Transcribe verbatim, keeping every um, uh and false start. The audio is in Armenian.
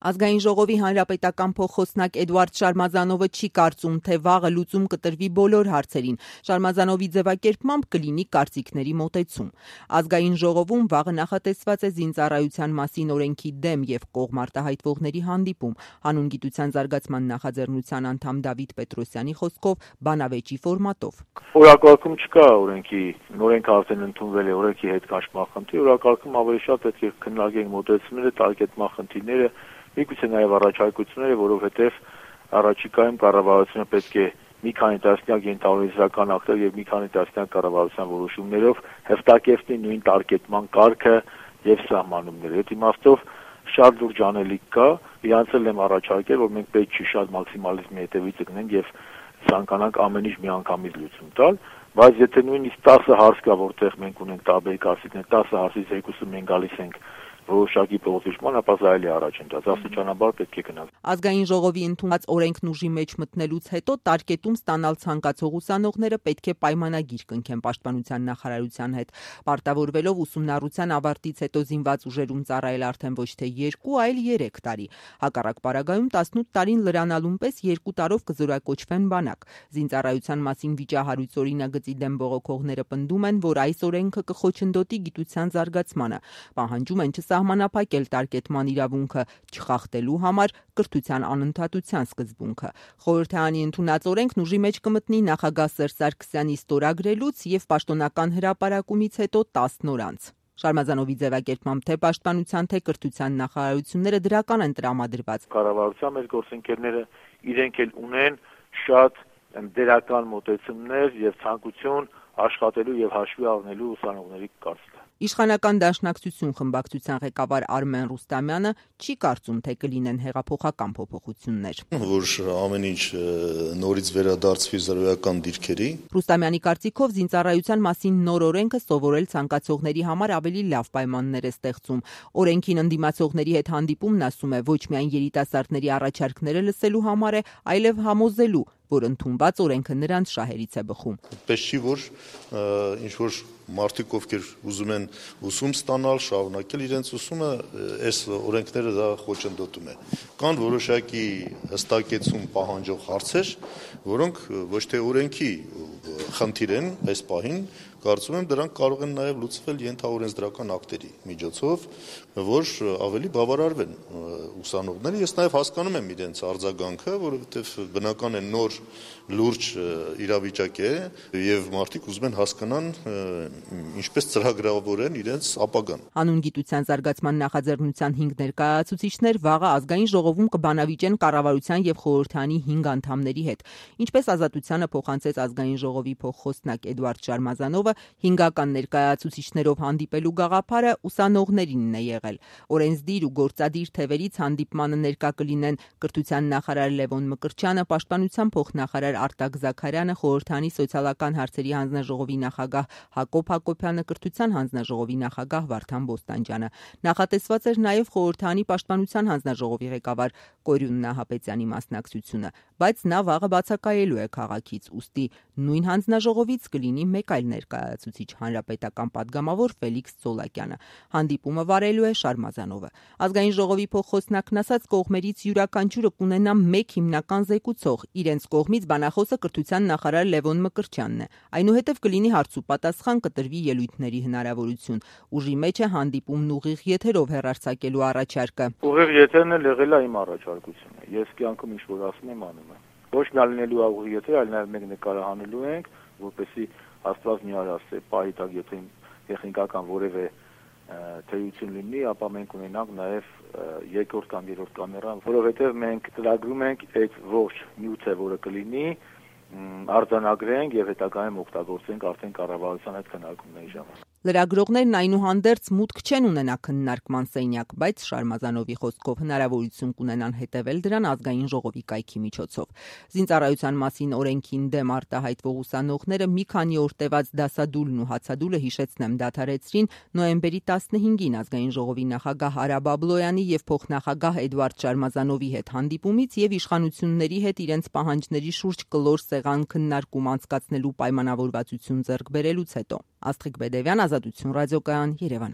Ազգային ժողովի հանրապետական փոխխոսնակ Էդուարդ Շարմազանովը չի կարծում, թե վաղը լուծում կտրվի բոլոր հարցերին։ Շարմազանովի ձևակերպմամբ կլինի կարծիքների մոտեցում։ Ազգային ժողովում վաղը նախատեսված է զինծառայության մասին օրենքի դեմ եւ կողմ արտահայտվողների հանդիպում։ Հանուն գիտության զարգացման նախաձեռնության անդամ Դավիթ Պետրոսյանի խոսքով բանավեճի ֆորմատով։ Օրակարգում չկա օրենքի, օրենքը արդեն ընդունվել է, օրենքի հետ կաշմա խնդիր, օրակարգում ավելի շատ պետք է քննարկենք մոտեցումները, տարկետման խնդիրները, միգուցե նաև առաջարկությունները, որովհետև առաջիկայում կառավարությունը պետք է մի քանի տասնյակ ենթահորինսական ակտեր եւ մի քանի տասնյակ կառավարության որոշումներով հստակեցնի նույն տարկետման կարգը եւ սահմանումները։ Այդ իմաստով շատ լուրջ անելիք կա, իրանց էլ եմ առաջարկել, որ մենք պետք չի շատ մաքսիմալիզմի հետևից գնենք եւ ցանկանանք ամեն ինչ միանգամից լուծում տալ, բայց եթե նույնիսկ տասը հարց կա, որտեղ մենք ունենք տարբեր կարծիքներ, տասը հարցից երկուսը մենք գալիս ենք որոշակի փոխհիշման, ապա զայելի առաջ ընկած, աստիճանաբար պետք է գնանք։ Ազգային ժողովի ընդունած օրենքն ուժի մեջ մտնելուց հետո տարկետում ստանալ ցանկացող ուսանողները պետք է պայմանագիր կնքեն պաշտպանության նախարարության հետ, պարտավորվելով ուսումնառության ավարտից հետո զինված ուժերում ծառայել արդեն ոչ թե երկու, այլ երեք տարի։ Հակառակ պարագայում տասնութ տարին լրանալուն պես երկու տարով կզորակոչվեն բանակ։ Զինծառայության մասին վիճահարույց օրինագծի դեմ բողոքողները պնդում են, որ այս օրենքը կխոչընդոտի գիտության զարգացմանը, պահանջում են սահմանափակել տարկետման իրավունքը, չխախտելու համար կրթության անընդհատության սկզբունքը։ Խորհրդարանի ընդունած օրենքն ուժի մեջ կմտնի նախագահ Սերժ Սարգսյանի ստորագրելուց եւ պաշտոնական հրապարակումից հետո տասն օր անց։ Շարմազանովի ձևակերպմամբ թե պաշտպանության, թե կրթության նախարարությունները դրական են տրամադրված։ Կառավարության մեր գործընկերները իրենք էլ ունեն շատ դերական մոտեցումներ եւ ցանկություն աշխատելու եւ հաշվի առնելու ուսանողների կարծիքը։ Իշխանական դաշնակցություն խմբակցության ղեկավար Արմեն Ռուստամյանը չի կարծում, թե կլինեն հեղափոխական փոփոխություններ։ Որ ամեն ինչ նորից վերադարձվի զրոյական դիրքերի։ Ռուստամյանի կարծիքով զինծառայության մասին նոր օրենքը սովորել ցանկացողների համար ավելի լավ պայմաններ է ստեղծում։ Օրենքին ընդդիմացողների հետ հանդիպումն ասում է ոչ միայն երիտասարդների առաջարկները լսելու համար է, այլև համոզելու, որ ընդունված օրենքը նրանց շահերից է բխում։ Պես չի, որ ինչ որ մարդիկ, ովքեր ուզում են ուսում ստանալ, շարունակել իրենց ուսումը, այս օրենքները դա խոչընդոտում է։ Կան որոշակի հստակեցում պահանջող հարցեր, որոնք ոչ թե օրենքի խնդիր են այս պահին, կարծում եմ դրանք կարող են նաև լուծվել ենթաօրենսդրական ակտերի միջոցով, որ ավելի բավարարվեն ուսանողները։ Ես նաև հասկանում եմ իրենց արձագանքը, որովհետև բնական է նոր լուրջ իրավիճակ է եւ մարդիկ ուզում են հասկանան ինչպես ծրագրավորեն իրենց ապագան։ Հանուն գիտության զարգացման նախաձեռնության հինգ ներկայացուցիչներ վաղը ազգային ժողովում կբանավիճեն կառավարության եւ խորհրդարանի հինգ անդամների հետ։ Ինչպես Ազատությանը փոխանցեց ազգային ժողովի փոխխոսնակ Էդուարդ Շարմազանովը, հինգական ներկայացուցիչներով հանդիպելու գաղափարը ուսանողներինն է եղել։ Օրենսդիր ու գործադիր թևերից հանդիպմանը ներկա կլինեն կրթության նախարար Լևոն Մկրտչյանը, պաշտպանության փոխնախարար Արտակ Զաքարյանը, խորհրդարանի սոցիալական հարցերի հանձնաժողովի նախագահ Հակոբ Հակոբյանը, կրթության հանձնաժողովի նախագահ Վարդան Բոստանջյանը։ Նախատեսված էր նաև խորհրդարանի պաշտպանության հանձնաժողովի ղեկավար Կորյուն Նահապետյանի մասնակցությունը, բայց նա վաղը բացակայելու է քաղաքից, ուստի նույն հանձնաժողովից կլինի մեկ այլ ներկայացուցիչ, հանրապետական պատգամավոր Ֆելիքս Ծոլակյանը։ Հանդիպումը վարելու է Շարմազանովը։ Ազգային ժողովի փոխխոսնակն ասաց, կողմերից յուրաքանչյուրը կունենա մեկ հիմնական զեկուցող, իրենց կողմից բանախոսը կրթության նախարար Լևոն Մկրտչյանն է։ Այնուհետև կլինի հարց ու պատասխան, կտրվի ելույթների հնարավորություն։ Ուժի մեջ է հանդիպումն ուղիղ եթերով հեռարձակելու առաջարկը։ Ուղիղ եթերն էլ եղել է իմ առաջարկությունը։ Ես կյանքում ինչ որ ասում եմ, անում եմ։ Ոչ միայն լինելու ուղիղ եթեր, այլ նաև մենք նկարահանելու ենք, որպեսզի Աստված մի արասե պահի տակ, եթե տեխնիկական որևէ թեյություն լինի, ապա մենք ունենանք նաև երկրորդ կամ երրորդ կամերա, որովհետև մենք ծրագրում ենք այդ ողջ նյութը, որը կլինի, արձանագրենք եւ հետագայում օգտագործենք արդեն կառավարության հետ քննարկումների ժամանակ։ Լրագրողներն այնուհանդերձ մուտք չեն ունենա քննարկման սենյակ, բայց Շարմազանովի խոսքով հնարավորություն կունենան հետևել դրան ազգային ժողովի կայքի միջոցով։ Զինծառայության մասին օրենքին դեմ արտահայտվող ուսանողները մի քանի օր տևած դասադուլն ու հացադուլը հիշեցնեմ դադարեցրին նոյեմբերի տասնհինգին ազգային ժողովի նախագահ Արա Բաբլոյանի եւ փոխնախագահ Էդուարդ Շարմազանովի հետ հանդիպումից եւ իշխանությունների հետ իրենց պահանջների շուրջ կլոր սեղան քննարկում անցկացնելու պայմանավորվածություն ձեռք բերելուց հետո։ Աստղիկ Բեդևյան, Ազատություն ռադիոկայան, Երևան։